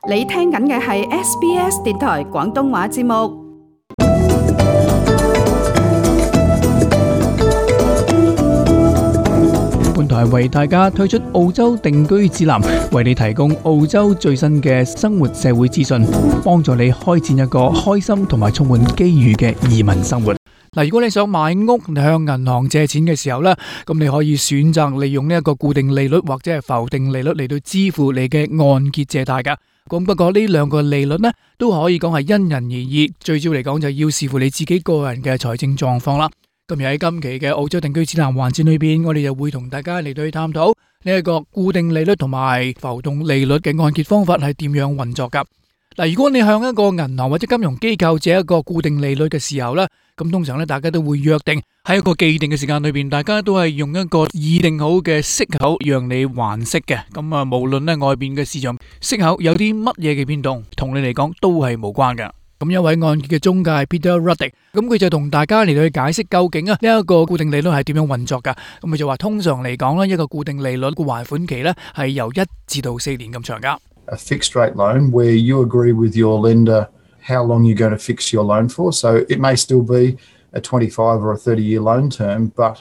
你聽緊嘅係 SBS 電台廣東話節目。本台為大家推出澳洲定居指南，為你提供澳洲最新嘅生活社會資訊，幫助你開展一個開心同埋充滿機遇嘅移民生活。嗱，如果你想買屋，你向銀行借錢嘅時候呢，咁你可以選擇利用呢一個固定利率或者係浮定利率嚟到支付你嘅按揭借貸噶。咁不過呢兩個利率呢，都可以講係因人而異，最主要嚟講就要視乎你自己個人嘅財政狀況啦。今日喺今期嘅澳洲定居指南環節裏邊，我哋就會同大家嚟到去探討呢一個固定利率同埋浮動利率嘅按揭方法係點樣運作噶。嗱，如果你向一個銀行或者金融機構借一個固定利率嘅時候呢，咁通常咧大家都會約定喺一個既定嘅時間裏邊，大家都係用一個擬定好嘅息口讓你還息嘅。咁啊，無論咧外邊嘅市場息口有啲乜嘢嘅變動，同你嚟講都係無關嘅。咁一位按揭嘅中介 Peter Ruddick， 咁佢就同大家嚟到去解釋究竟啊呢一個固定利率係點樣運作噶。咁佢就話通常嚟講咧，一個固定利率嘅還款期咧係由1至到4年咁長噶。A fixed rate loan where you agree with your lender how long you're going to fix your loan for. So it may still be a 25 or a 30-year loan term, but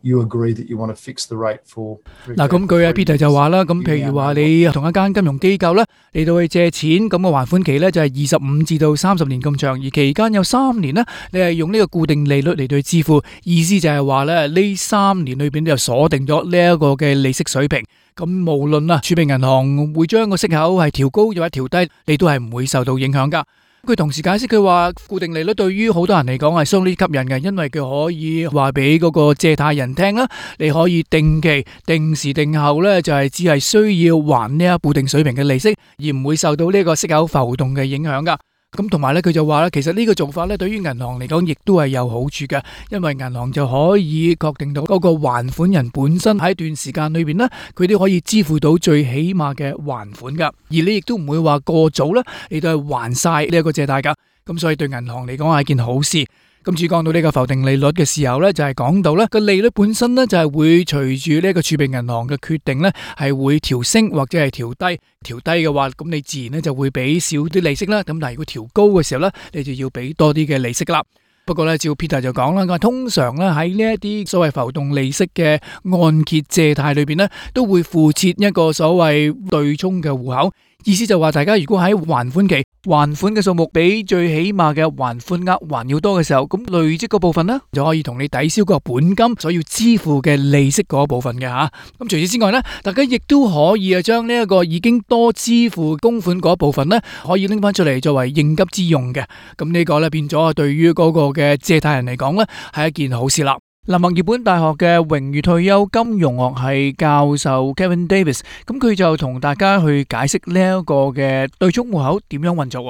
you agree that you want to fix the rate for. 嗱，咁佢阿 Peter 就話啦，咁譬如話你同一間金融機構咧嚟到去借錢，咁個還款期咧就係25至到30年咁長，而期間有3年咧，你係用呢個固定利率嚟到去支付，意思就係話咧呢3年裏邊就鎖定咗呢一個嘅利息水平。咁無論啊儲備銀行會將個息口係調高或者調低，你都係唔會受到影響噶。佢同時解釋佢話固定利率對於好多人嚟講係相當吸引嘅，因為佢可以話俾嗰個借貸人聽啦，你可以定期、定時定候咧就係只係需要還呢一固定水平嘅利息，而唔會受到呢個息口浮動嘅影響噶。咁同埋咧，佢就話咧，其實呢個做法咧，對於銀行嚟講，亦都係有好處嘅，因為銀行就可以確定到嗰個還款人本身喺一段時間裏邊呢，佢都可以支付到最起碼嘅還款噶，而你亦都唔會話過早啦，你都係還晒呢一個借貸噶，咁所以對銀行嚟講係一件好事。今次講到呢個浮定利率嘅時候呢，就係講到呢個利率本身呢，就係會隨住呢個儲備銀行嘅決定呢，係會調升或者係調低。調低嘅話，咁你自然呢就會俾少啲利息啦。咁但係如果調高嘅時候呢，你就要俾多啲嘅利息啦。不過呢，照 Peter 就講啦，通常呢喺呢一啲所謂浮動利息嘅按揭借貸裏邊呢，都會附設一個所謂對沖嘅戶口。意思就話大家如果喺還款期還款嘅數目比最起碼嘅還款額還要多嘅時候，咁累積嗰部分呢，就可以同你抵消個本金所要支付嘅利息嗰部分嘅吓。咁除此之外呢，大家亦都可以將呢一個已經多支付供款嗰部分呢，可以拎翻出嚟作為應急之用嘅。咁呢個呢，變咗對於嗰個嘅借貸人嚟講呢，係一件好事啦。墨爾本大學嘅榮譽退休金融學系教授 Kevin Davis， 咁佢就同大家去解釋呢一個嘅對沖戶口點樣運作。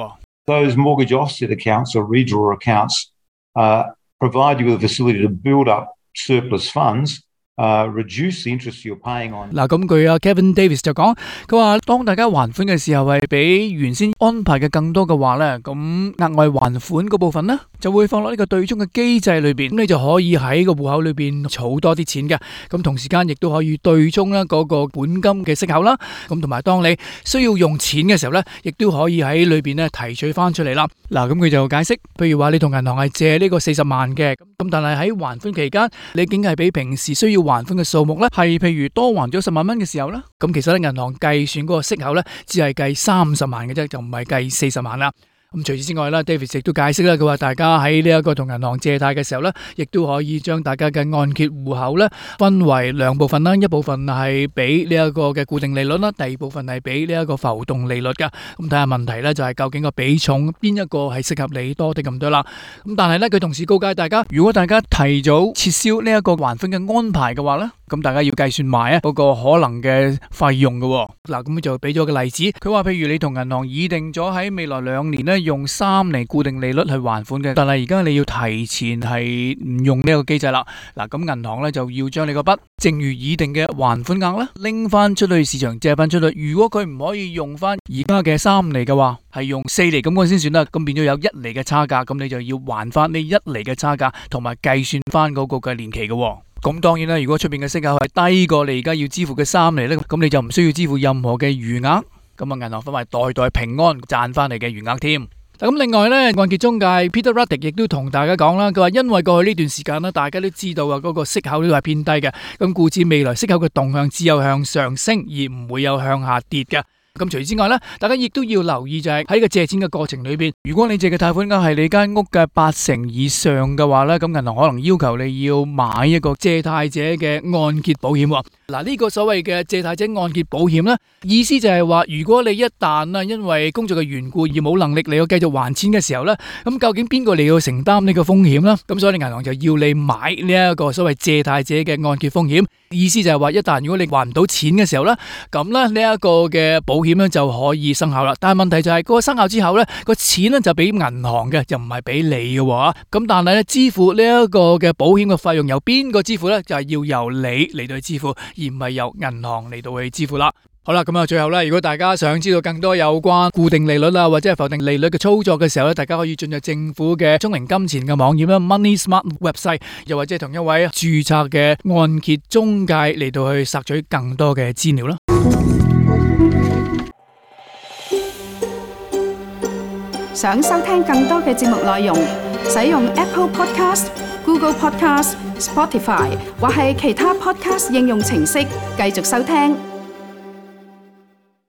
Those mortgage offset accounts or redraw accounts provide you with a facility to build up surplus funds.Reduce the interest you're paying on。嗱，咁佢阿 Kevin Davis 就講，佢話當大家還款嘅時候係比原先安排嘅更多嘅話咧，咁額外還款嗰部分咧就會放落呢個對沖嘅機制裏邊，咁你就可以喺個戶口裏邊儲多啲錢嘅，咁同時間亦都可以對沖啦嗰個本金嘅息口啦，咁同埋當你需要用錢嘅時候咧，亦都可以喺裏邊咧提取翻出嚟啦。嗱，咁佢就解釋，譬如話你同銀行係借呢個40萬嘅，咁但係喺還款期間，你竟係比平時需要還款嘅數目咧，係譬如多還咗10萬蚊嘅時候咧，咁其實咧銀行計算嗰個息口咧，只係計30萬嘅啫，就唔係計40萬啦。咁除此之外啦 ，David 亦都解釋啦，佢話大家喺呢一個同銀行借貸嘅時候咧，亦都可以將大家嘅按揭戶口咧分為2部分啦，一部分係俾呢一個嘅固定利率啦，第二部分係俾呢一個浮動利率噶。咁睇下問題咧，就係究竟個比重邊一個係適合你多啲咁多啦。咁但係咧，佢同時告誡大家，如果大家提早撤銷呢一個還款嘅安排嘅話咧，咁大家要計算埋嗰個可能嘅費用嘅。嗱，咁就俾咗個例子，佢話譬如你同銀行擬定咗喺未來2年咧用3厘固定利率去還款嘅，但係而家你要提前係唔用呢個機制啦。嗱，咁銀行咧就要將你個筆正如擬定嘅還款額咧拎翻出去市場借翻出去。如果佢唔可以用翻而家嘅3厘嘅話，係用4厘咁嗰先算啦。咁變咗有1厘嘅差價，咁你就要還翻呢1厘嘅差價，同埋計算翻嗰個嘅年期嘅。咁當然啦，如果出邊嘅息口係低過你而家要支付嘅3厘咧，咁你就唔需要支付任何嘅餘額。咁啊銀行反為代代平安賺翻嚟嘅餘額添。咁另外咧，按揭中介 Peter Ruddick 亦都同大家講啦，佢話因為過去呢段時間咧，大家都知道啊，嗰個息口都係偏低嘅，咁故此未來息口嘅動向只有向上升，而唔會有向下跌嘅。咁除此之外咧，大家亦都要留意就係喺個借錢嘅過程裏邊，如果你借嘅貸款額係你間屋嘅80%以上嘅話咧，咁銀行可能要求你要買一個借貸者嘅按揭保險。嗱，呢個所謂嘅借貸者按揭保險咧，意思就係話，如果你一旦因為工作嘅緣故而冇能力你要繼續還錢嘅時候咧，咁究竟邊個你要承擔呢個風險咧？咁所以銀行就要你買呢一個所謂借貸者嘅按揭風險。意思就係話，一旦如果你還唔到錢嘅時候咧，咁咧呢一個嘅保險咧就可以生效啦。但係問題就係嗰個生效之後咧，個錢咧就俾銀行嘅，就唔係俾你嘅喎。咁但係咧，支付呢一個嘅保險嘅費用由邊個支付咧？就係要由你嚟到去支付，而唔係由銀行嚟到去支付啦。好啦，咁啊，最後咧，如果大家想知道更多有關固定利率啦，或者係浮定利率嘅操作嘅時候咧，大家可以進入政府嘅聰明金錢嘅網頁啦 ，Money Smart Website， 又或者同一位註冊嘅按揭中介嚟到去索取更多嘅資料啦。想收聽更多嘅節目內容，使用 Apple Podcast、Google Podcast、Spotify 或係其他 Podcast 應用程式繼續收聽。